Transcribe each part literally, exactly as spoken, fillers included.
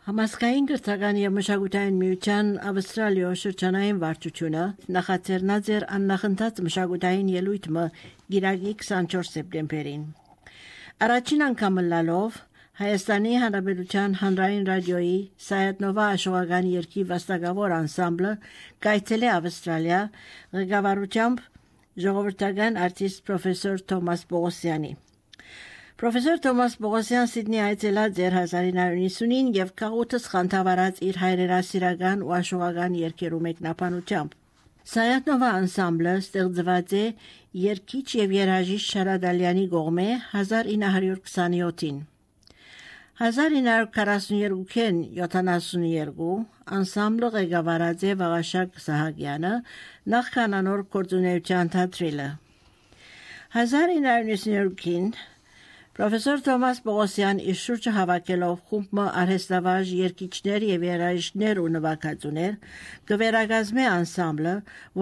Համասկային գրթական և մշակութային միության Ավստրալիո շրջանային վարչությունը նախաձեռնած էր աննախընթաց մշակութային ելույթը գիրակի քսանչորս սեպտեմբերին։ Առաջին անգամ լալով Հայաստանի Հանրապետության հանրային ռադիոյի Սայաթնովա աշխուժական երգի վաստակավոր անսամբլը կայցել է Ավստրալիա ղեկավարությամբ ժողովրդական արտիստ պրոֆեսոր Թոմաս Պողոսյանի։ Պրոֆեսոր Թոմաս Պողոսյան Սիդնի այցելած էր հազար ինը հարյուր նվաթ և քաղուտս խանդավառած իր հայրենասիրական ու աշխուժական երգերու մեկնաբանությամբ։ Սայաթնովա անսամբլը ստեղծված է երգիչ և երաժիշտ Շարադալյանի կողմէ հազար ինը հարյուր քսանյոթին։ հազար ինը հարյուր քառասունյոթին յոթանասունյոթ անսամբլը ղեկավարած է Վաղաշակ Սահակյանը նախքան անոր գործունեության թատրիլը։ հազար ինը հարյուր նվաթին Պրոֆեսոր Թոմաս Պողոսյան իր շուրջը հավաքելով խումբը արհեստավարժ երգիչներ և երաժիշտներ ու նվագածուներ կվերակազմե անսամբլը,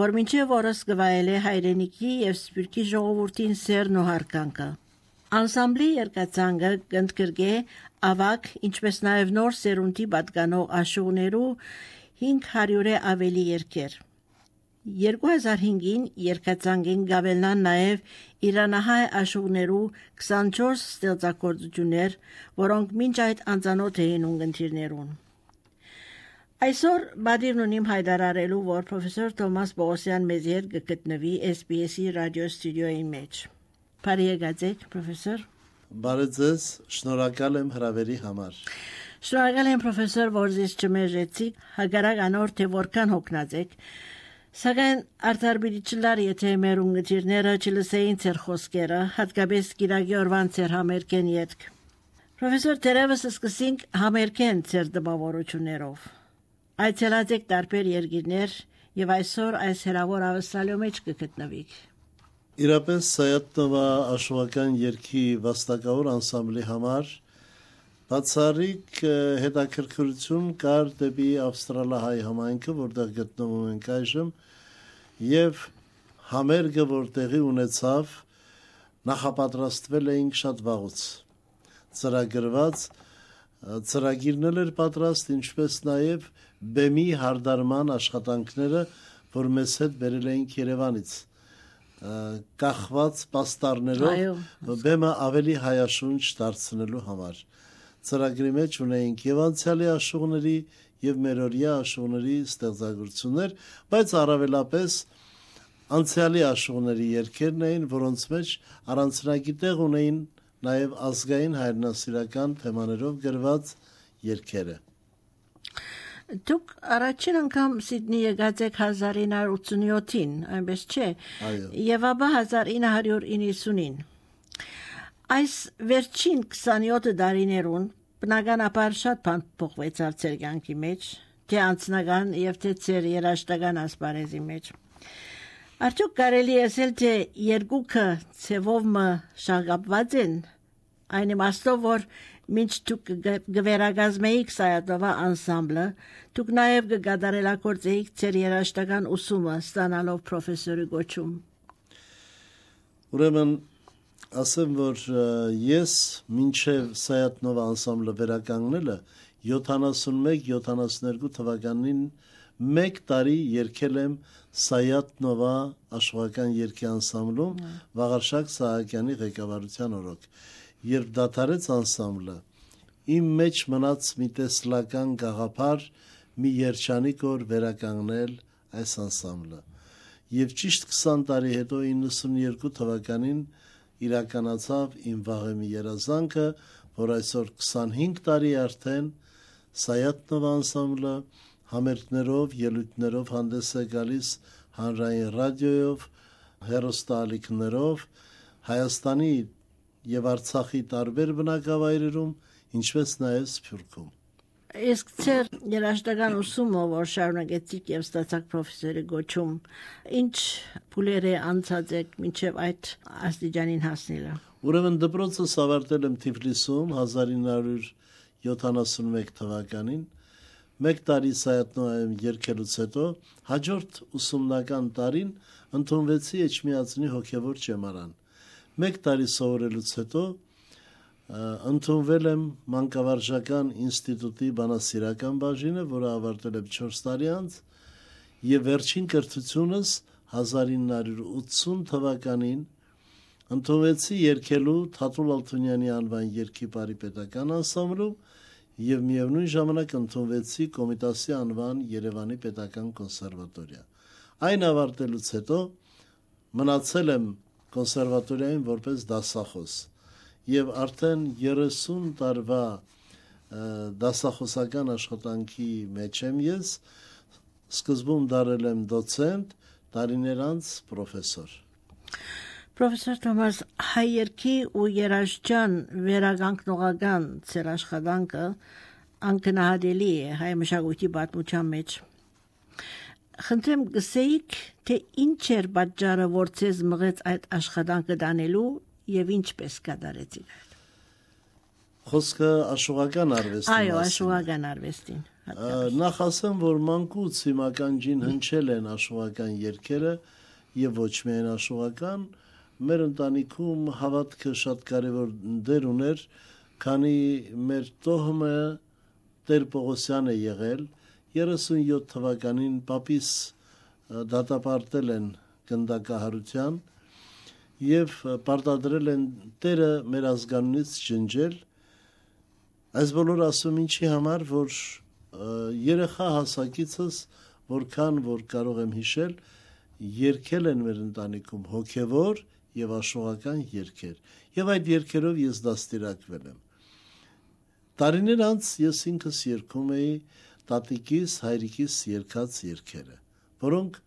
որ մինչև օրս կվայելե հայրենիքի և սփյուռքի ժողովրդին սերն ու հարգանքը։ Անսամբլի երգացանկը կընդգրկե ավագ, ինչպես նաև նոր սերունդի պատկանող աշխուժներու հինգ հարյուրը ավելի երգեր։ երկու հազար հինգին երգացանկին գավելնան նաև իրանահայ աշխուժներու քսանչորս ստեղծագործություններ, որոնք մինչ այդ անծանոթ էին ունգընտիրներուն։ Այսօր բադիրն ունիմ հայտարարելու, որ պրոֆեսոր Թոմաս Պողոսյան մեզ հետ կգտնվի էս բի էս-ի ռադիո ստուդիոյի մեջ։ Բարի եկած, պրոֆեսոր։ Բարի ձեզ, շնորհակալ եմ հրավերի համար։ Շնորհակալ եմ, պրոֆեսոր, որ ձեզ չմերժեցիք, հակառակ անոր թե որքան հոգնած եք։ Սակայն արդար պիտի չլար, եթե մեր ունգընտիրները չլսեին ձեր խոսքերը, հատկապես գիրակի օրվան ձեր համերգեն ետք։ Պրոֆեսոր, դեռևս սկսենք համերգեն ձեր տպավորություններով։ Այցելած եք տարբեր երկիրներ և այսօր այս հեռավոր Ավստրալիո մեջ կգտնվիք։ Իրապես Սայաթնովա աշխուժական երգի վաստակավոր անսամբլի համար բացառիկ հետաքրքրություն կար դեպի ավստրալահայ համայնքը, որտեղ գտնվում ենք այժմ, եւ համերգը, որ տեղի ունեցավ, նախապատրաստվել էինք շատ վաղուց։ Ծրագրված ծրագիրն էր պատրաստ, ինչպես նաև բեմի հարդարման աշխատանքները, որ մեզ հետ բերել էինք Երևանից, կախված պաստառներով բեմը ավելի հայաշունչ դարձնելու համար։ Ծրագրի մեջ ունեինք եւ անցյալի աշխուժների եւ մերօրյա աշխուժների ստեղծագործություններ, բայց առավելապես անցյալի աշխուժների երգերն էին, որոնց մեջ առանձնագիտեղ ունեին նաեւ ազգային հայրենասիրական թեմաներով գրված երգերը։ Դուք առաջին անգամ Սիդնի եկած եք հազար ինը հարյուր ութսունյոթին, այնպես չէ։ Այո։ Եվ ապա հազար ինը հարյուր իննսունին։ Այս վերջին քսանյոթ տարիներուն բնականաբար շատ բան փոխվեցավ ձեր կյանքի մեջ, թե անձնական եւ թե ձեր երաժշտական ասպարեզի մեջ։ Արդյոք կարելի է ասել, թե երկուքը ցևով մը շաղկապված են, այն իմաստով, որ մինչ դուք գվերակազմեիք Սայաթնովա անսամբլը, դուք նաև կգադարելագործեիք ձեր երաժշտական ուսումը ստանալով պրոֆեսորի կոչում։ Ուրեմն ասեմ, որ ես մինչև Սայաթնովա անսամբլը վերականգնելը յոթանասունմեկ յոթանասունյոթ թվականին մեկ տարի երգել եմ Սայաթնովա աշխուժական երգի անսամբլում Վաղարշակ Սահակյանի ղեկավարության օրոք։ Երբ դադարեց անսամբլը, իմ մեջ մնաց մի տեսլական գաղափար մի երջանիկ օր վերականգնել այս անսամբլը։ Եվ ճիշտ քսան տարի հետո իննսունյոթ թվականին իրականացավ իմ վաղեմի երազանքը, որ այսօր քսանհինգ տարի արդեն Սայաթնովա անսամբլը համերգներով, ելույթներով հանդես է գալիս հանրային ռադիոյով, հեռուստաալիքներով Հայաստանի եւ Արցախի տարբեր բնակավայրերում, ինչպես նաեւ Սփյուռքում։ Իսկ ձեր երաժշտական ուսումը, որ շարունակեցիք եւ ստացաք պրոֆեսորի կոչում, ինչ փուլեր է անցած եք մինչեւ այդ աստիճանին հասնելը։ Ուրեմն դպրոցս ավարտել եմ Թիֆլիսում հազար ինը հարյուր յոթանասունմեկ թվականին, մեկ տարի Սայաթնովայում երգելուց հետո հաջորդ ուսումնական տարին ընդունվեցի Էջմիածնի հոգևոր ճեմարան։ Մեկ տարի սովորելուց հետո Ընդունվել եմ Մանկավարժական ինստիտուտի բանասիրական բաժինը, որը ավարտել եմ չորս տարի անց, եւ վերջին կրթությունս հազար ինը հարյուր ութսուն թվականին ընդունվեցի երգելու Թաթուլ Ալթունյանի անվան երգի բարի պետական անսամբլում եւ միևնույն ժամանակ ընդունվեցի Կոմիտասի անվան Երևանի պետական կոնսերվատորիա։ Այն ավարտելուց հետո մնացել եմ կոնսերվատորիայում որպես դասախոս եւ արդեն երեսուն տարվա դասախոսական աշխատանքի մեջ եմ ես, սկզբում դարել եմ դոցենտ, տարիներ անց պրոֆեսոր։ Պրոֆեսոր Թոմաս, հայ երգի ու երաժշտության վերականգնողական ձեր աշխատանքը անկնահատելի է հայ մշակույթի պատմության մեջ։ Խնդրեմ գսեիք, թե ինչ էր պատճառը, որ ձեզ մղեց այդ աշխատանքը դանելու եւ ինչպես կատարեցիք։ Խոսքը աշխուղական արվեստի Այո, աշխուղական արվեստին։ Նախ ասեմ, որ մանկուց հիմական ջին հնչել են աշխուղական երգերը եւ ոչ միայն աշխուղական, մեր ընտանիքում հավատքը շատ կարեւոր դեր ուներ, քանի մեր տոհմը Տեր Պողոսյան է եղել, երեսունյոթ թվականին պապիս դատապարտել են գնդակահարության եւ պարտադրել են Տերը մեր ազգանունից ջնջել։ Այս բոլորը ասում ինչի համար, որ երեխա հասակիցս, որքան որ կարող եմ հիշել, երգել են մեր ընտանիքում հոգևոր եւ աշխուղական երգեր, եւ այդ երգերով ես դաստիարակվել եմ։ Տարիներ անց ես ինքս երգում էի տատիկիս, հայրիկիս երգած երգերը, որոնք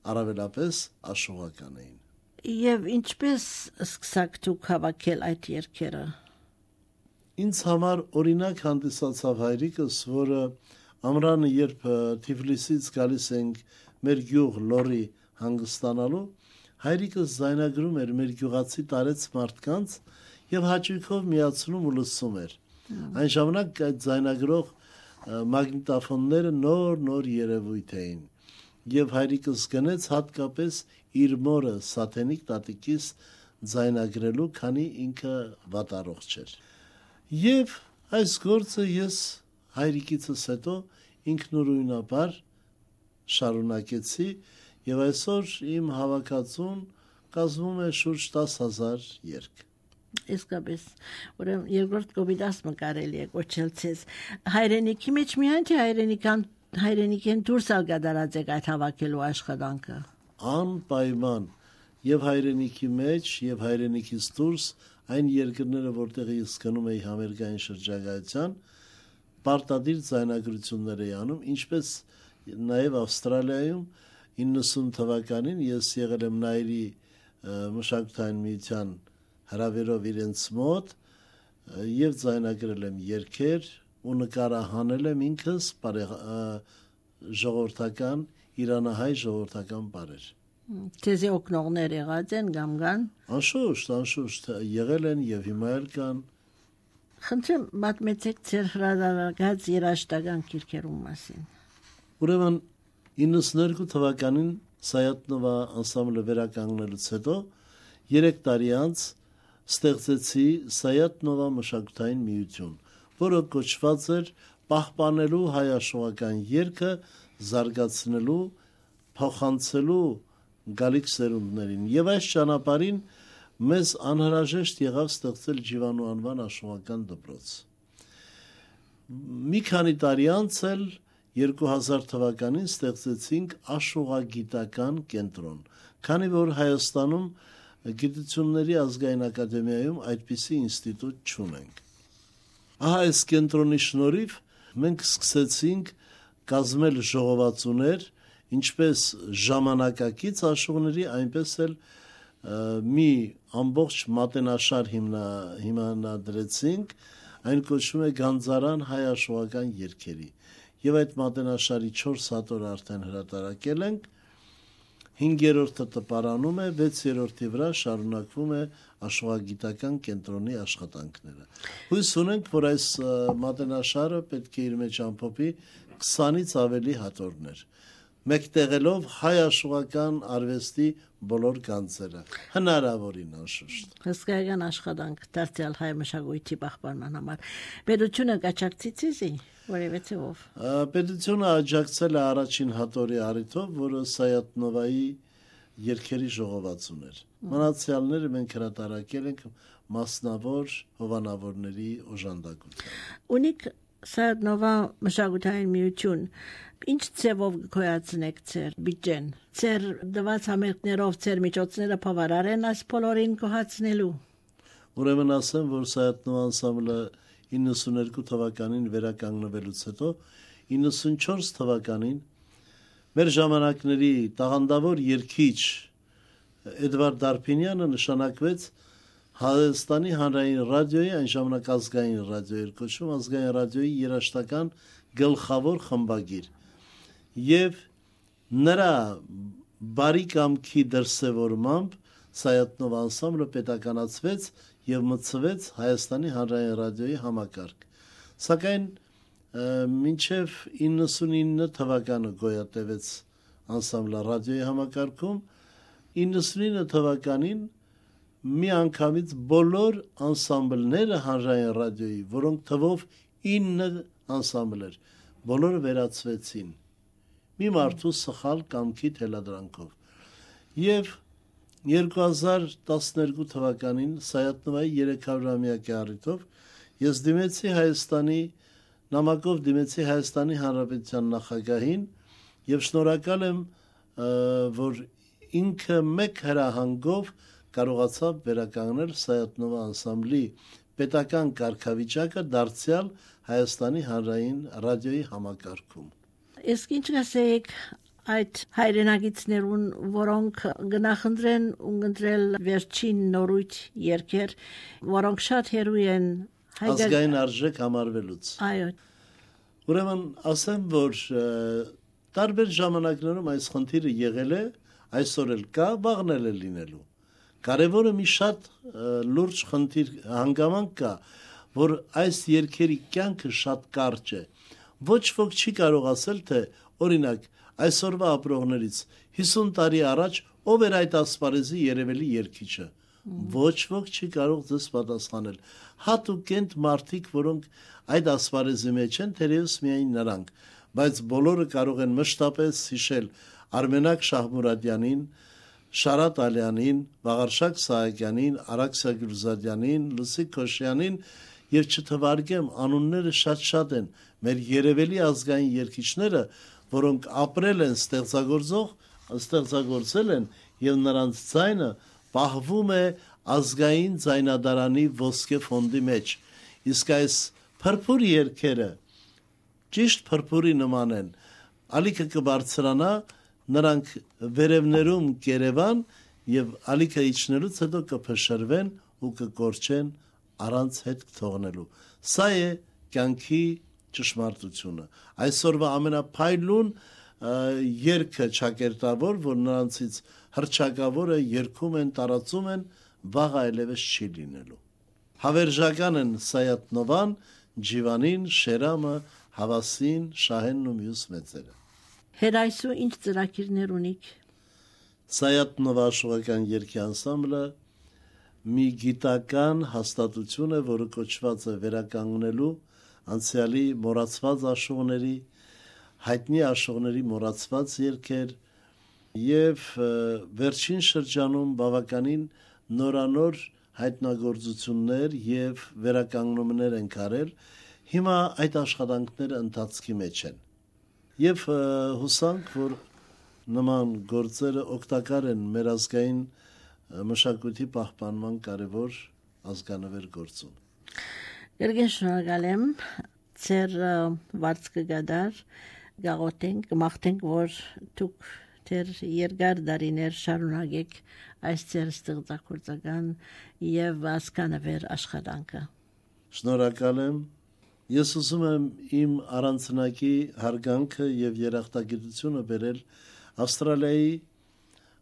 առավելապես աշխուղական էին։ Եվ ինչպես սկսաք դուք հավաքել այդ երգերը։ Ինձ համար օրինակ հանդիսացավ հայրիկս, որը ամռանը երբ Թիֆլիսից գալիս ենք մեր գյուղ Լորի հանգստանալու, հայրիկս զայնագրում էր մեր գյուղացի տարեց մարդկանց եւ հաճույքով միացնում ու լսում էր։ Այն ժամանակ այդ զայնագրող մագնիտոֆոնները նոր-նոր երևույթ էին եւ հայրիկս գնեց հատկապես իր մորը Սաթենիկ տատիկիս զայնագրելու, քանի ինքը վատառողջ էր։ Եվ այս գործը ես հայրիկիցս հետո ինքնուրույնաբար շարունակեցի եւ այսօր իմ հավաքածուն կազմում է շուրջ տասը հազար երգ։ Իսկապես, ուրեմն երկրորդ կոմիտասը կարելի է կոչել ցես հայրենիքի մեջ միայն թե հայրենիքան հայրենիքեն դուրս ալգադարած եք այդ հավաքելու աշխատանքը։ Անպայման եւ հայրենիքի մեջ եւ հայրենիքից դուրս այն երկրները, որտեղ ես գնում էի համերգային շրջագայության, պարտադիր ձայնագրություններ էի անում, ինչպես նաեւ Ավստրալիայում իննսուն թվականին ես եղել եմ Նայրի մշակութային միության հրավերով իրենց մոտ եւ ձայնագրել եմ երգեր ու նկարահանել եմ ինքս ժողովրդական իրանահայ ժողովրդական բարեր։ Թեզի օգնողներ եղած են գամգան։ Անշուշտ, անշուշտ եղել են եւ հիմա էլ կան։ Խնդրեմ մատմեցեք ձեր հրադադարած երաժշտական քիրքերում մասին։ Ուրեմն իննսունհինգ թվականին Սայատնովա անսամբլը վերականգնելուց հետո երեք տարի անց ստեղծեցի Սայատնովա մշակութային միություն, որը կոչված էր պահպանելու հայ աշխուղական երգը, զարգացնելու, փոխանցելու գալիք սերունդներին։ Եվ այս ճանապարհին մեզ անհրաժեշտ եղավ ստեղծել Ջիվանու անվան աշխուղական դպրոց։ Մի քանի տարի անց էլ երկու հազար թվականին ստեղծեցինք աշխուղագիտական կենտրոն, քանի որ Հայաստանում Գիտությունների ազգային ակադեմիայում այդպիսի ինստիտուտ չունենք։ Ահա այս կենտրոնի շնորհիվ մենք սկսեցինք կազմել ժողովածուներ, ինչպես ժամանակակից աշխուղների, այնպես էլ մի ամբողջ մատենաշար հիմնա, հիմնադրեցինք, այն կոչվում է Գանձարան հայ աշխուղական երգերի։ Եվ այդ մատենաշարի չորս հատորը արդեն հրատարակել ենք, հինգերորդը տպարանում է, վեցերորդի վրա շարունակվում է աշխուղագիտական կենտրոնի աշխատանքները։ Հույս ունենք, որ այս մատենաշարը պետք է իր մեջ ամփոփի քսանից ավելի հատորներ, մեկտեղելով հայ աշխուղական արվեստի բոլոր գանձերը հնարավորին անշուշտ հսկայական աշխատանք դարձյալ հայ մշակույթի պահպանման համար պետությունը կաչակցիցի որևէ ցեվով պետությունը աջակցել է առաջին հատորի առիթով որը Սայաթ-Նովայի երկերի ժողովածուն էր մնացյալները մենք հրատարակել ենք մասնավոր հովանավորների օժանդակությամբ ունիք Սայաթ-Նովա մշակութային միություն ինչ ցեվով գոյացնեք ձեր բյուջեն ձեր դված համերգներով ձեր միջոցները բավարար են այս բոլորին կոհացնելու ուրեմն ասեմ որ Սայաթ-Նովա անսամբլը իննսուներկու թվականին վերականգնվելուց հետո իննսունչորս թվականին մեր ժամանակների տաղանդավոր երգիչ Էդվարդ Դարփինյանը նշանակվեց Հայաստանի հանրային ռադիոյի այն ժամանակ ազգային ռադիոյի կոչվում ազգային ռադիոյի երաժշտական գլխավոր խմբագիր եւ նրա բարի կամքի դրսևորմամբ Սայաթ-Նովա անսամբլը պետականացվեց եւ մտցվեց Հայաստանի հանրային ռադիոյի համակարգ սակայն մինչեւ իննսունինը թվականը գոյատևեց անսամբլը ռադիոյի համակարգում իննսունինը թվականին մի անգամից բոլոր անսամբլները հանրային ռադիոյի, որոնք թվով ինը անսամբլ էր, բոլորը վերացվեցին մի մարդու սխալ կամքի թելադրանքով։ Եվ երկու հազար տասներկու թվականին Սայաթ-Նովայի երեքսունամյակի առիթով ես դիմեցի Հայաստանի նամակով դիմեցի Հայաստանի Հանրապետության նախագահին եւ շնորհակալ եմ, որ ինքը մեկ հրահանգով կարողացավ վերականգնել Սայաթ-Նովա անսամբլի պետական կարգավիճակը դարձյալ Հայաստանի հանրային ռադիոյի համակարգում։ Իսկ ինչ կասեք այդ հայրենագիտներուն, որոնք գնահնդրեն ունգընտրել վերջին նորույթ երկեր, որոնք շատ հերույ են ազգային արժեք համարվելուց։ Այո։ Ուրեմն ասեմ, որ տարբեր ժամանակներում այս խնդիրը եղել է, այսօր էլ կա, վաղն էլ է լինելու։ Կարևորը մի շատ լուրջ խնդիր հանգամանք կա, որ այս երկերի կյանքը շատ կարճ է։ Ոչ ոք չի կարող ասել, թե օրինակ այսօրվա ապրողներից հիսուն տարի առաջ ով էր այդ ասպարեզի երևելի երգիչը։ Ոչ ոք չի կարող ձեզ պատասխանել։ Հատուկ են մարդիկ, որոնք այդ ասպարեզի մեջ են, թերևս միայն նրանք, բայց բոլորը կարող են մշտապես հիշել Արմենակ Շահմուրադյանին, Շարատ Ալյանին, Վաղարշակ Սահակյանին, Արաքսիա Գյուլզադյանին, Լուսիկ Քոշյանին եւ չթվարկեմ անունները շատ-շատ են մեր երևելի ազգային երգիչները, որոնք ապրել են ստեղծագործող, ստեղծագործել են եւ նրանց ձայնը պահվում է ազգային ձայնադարանի ոսկե ֆոնդի մեջ։ Իսկ այս փրփուր երգերը ճիշտ փրփուրի նման են։ Ալիքը կբարձրանա նրանք վերևներում կերևան եւ ալիքը իջնելուց հետո կփշրվեն ու կկորչեն առանց հետ թողնելու։ Սա է կյանքի ճշմարտությունը։ Այսօրվա ամենափայլուն երգը ճակերտավոր, որ նրանցից հրճակավորը երգում են, տարածում են, վաղ այլևս չի լինելու։ Հավերժական են Սայաթ-Նովան, Ջիվանին, Շերամը, Հավասին, Շահենն ու մյուս մեծերը։ Հերայսու ինչ ծրագիրներ ունիք։ Սայաթ-Նովա աշխուղական երգի անսամբլը մի գիտական հաստատություն է, որը կոչված է վերականգնելու անցյալի մոռացված աշխուղների, հայտնի աշխուղների մոռացված երգեր եւ վերջին շրջանում բավականին նորանոր հայտնագործություններ եւ վերականգնումներ են արել։ Հիմա այդ աշխատանքները ընթացքի մեջ են։ Եվ հուսանք, որ նման գործերը օգտակար են մեր ազգային մշակույթի պահպանման կարևոր ազգանվեր գործում։ Երգեն շնորհակալ եմ, ձեր վարձքը գադար, գաղութենք, կմաղթենք, որ դուք ձեր երկար դարիներ շարունակեք այս ձեր ստեղծագործական եւ ազգանվեր աշխատանքը։ Շնորհակալ եմ։ Ես ուզում եմ իմ առանցնակի հարգանքը եւ երախտագիտությունը բերել Ավստրալիայի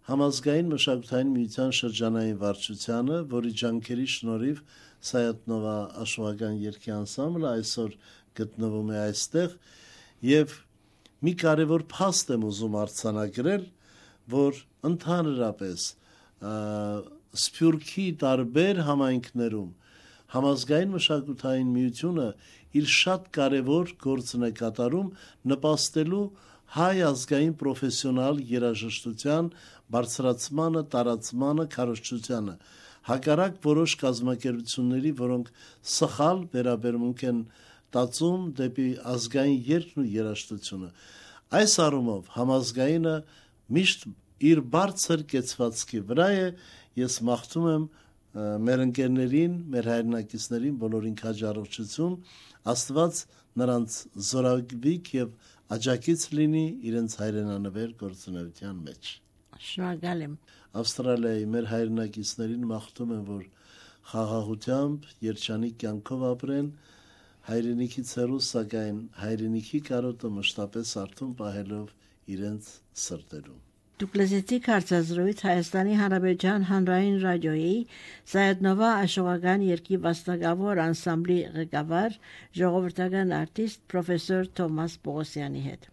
համազգային մշակութային միության շրջանային վարչությանը, որի ջանքերի շնորհիվ Սայաթ-Նովա աշխուղական երգի անսամբլը այսօր գտնվում է այստեղ եւ մի կարևոր փաստ եմ ուզում արձանագրել, որ ընդհանրապես Սփյուռքի տարբեր համայնքներում համազգային մշակութային միությունը իր շատ կարևոր գործն է կատարում նպաստելու հայ ազգային պրոֆեսիոնալ երաժշտության բարձրացմանը, տարածմանը, քարոզչությանը, հակառակ որոշ կազմակերպությունների, որոնք սխալ վերաբերմունք են տածում դեպի ազգային երգն ու երաժշտությունը։ Այս առումով համազգայինը միշտ իր բարձր կեցվածքի վրա է, ես մաղթում եմ մեր ընկերներին, մեր հայրենակիցներին բոլորին քաջ առողջություն, Աստված նրանց զորավիք եւ աջակից լինի իրենց հայրենանվեր գործունեության մեջ։ Շնորհակալ եմ։ Ավստրալիայի մեր հայրենակիցներին մաղթում եմ, որ խաղաղությամբ, երջանիկ կյանքով ապրեն, հայրենիքից հեռու, սակայն հայրենիքի կարոտը մշտապես արթուն պահելով իրենց սրտերում։ Դուք լսեցիք հարցազրույց Հայաստանի Հանրապետության հանրային ռադիոյի Սայեդնովա աշխուժական երգի վաստակավոր անսամբլի ղեկավար ժողովրդական արտիստ պրոֆեսոր Թոմաս Պողոսյանի հետ։